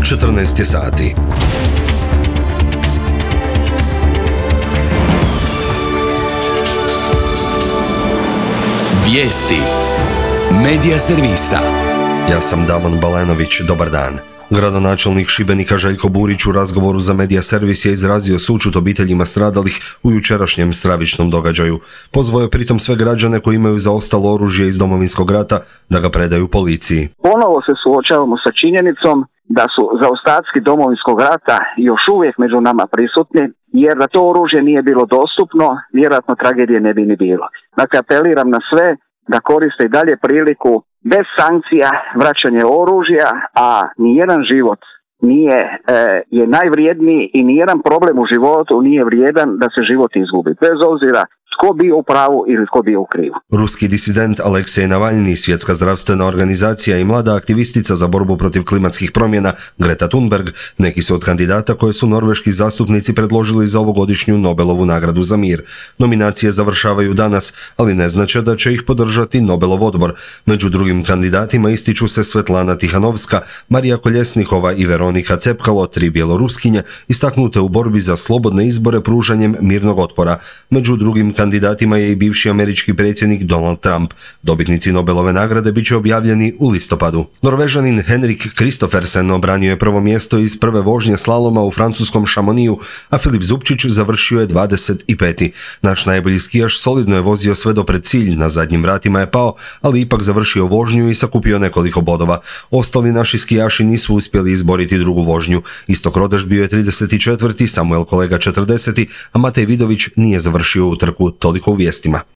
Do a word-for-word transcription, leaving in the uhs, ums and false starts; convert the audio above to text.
četrnaest je sati. Vijesti Medija servisa. Ja sam Davon Balenović, dobar dan. Gradonačelnik Šibenika Željko Burić u razgovoru za Medija servis je izrazio sućut obiteljima stradalih u jučerašnjem stravičnom događaju. Pozvao je pritom sve građane koji imaju zaostalo oružje iz Domovinskog rata da ga predaju policiji. Ponovo se suočavamo sa činjenicom da su zaostaci Domovinskog rata još uvijek među nama prisutni, jer da to oružje nije bilo dostupno, vjerojatno tragedije ne bi ni bilo. Dakle, apeliram na sve da koriste i dalje priliku bez sankcija vraćanje oružja, a nijedan život nije, e, je najvrijedniji i nijedan problem u životu nije vrijedan da se život izgubi, bez obzira tko bio u pravu ili tko bio u krivu. Ruski disident Aleksej Navalni, Svjetska zdravstvena organizacija i mlada aktivistica za borbu protiv klimatskih promjena Greta Thunberg neki su od kandidata koje su norveški zastupnici predložili za ovogodišnju Nobelovu nagradu za mir. Nominacije završavaju danas, ali ne znače da će ih podržati Nobelov odbor. Među drugim kandidatima ističu se Svetlana Tihanovska, Marija Koljesnikova i Veronika Cepkalo, tri bjeloruskinje, istaknute u borbi za slobodne izbore pružanjem mirnog otpora. Među drugim kandidatima je i bivši američki predsjednik Donald Trump. Dobitnici Nobelove nagrade bit će objavljeni u listopadu. Norvežanin Henrik Kristoffersen obranio je prvo mjesto iz prve vožnje slaloma u francuskom Chamonixu, a Filip Zupčić završio je dvadeset peti. Naš najbolji skijaš solidno je vozio sve do pred cilj, na zadnjim vratima je pao, ali ipak završio vožnju i sakupio nekoliko bodova. Ostali naši skijaši nisu uspjeli izboriti drugu vožnju. Istok Rodeš bio je trideset četvrti, Samuel Kolega četrdeseti, a Matej Vidović nije završio utrku. Toliko u vijestima.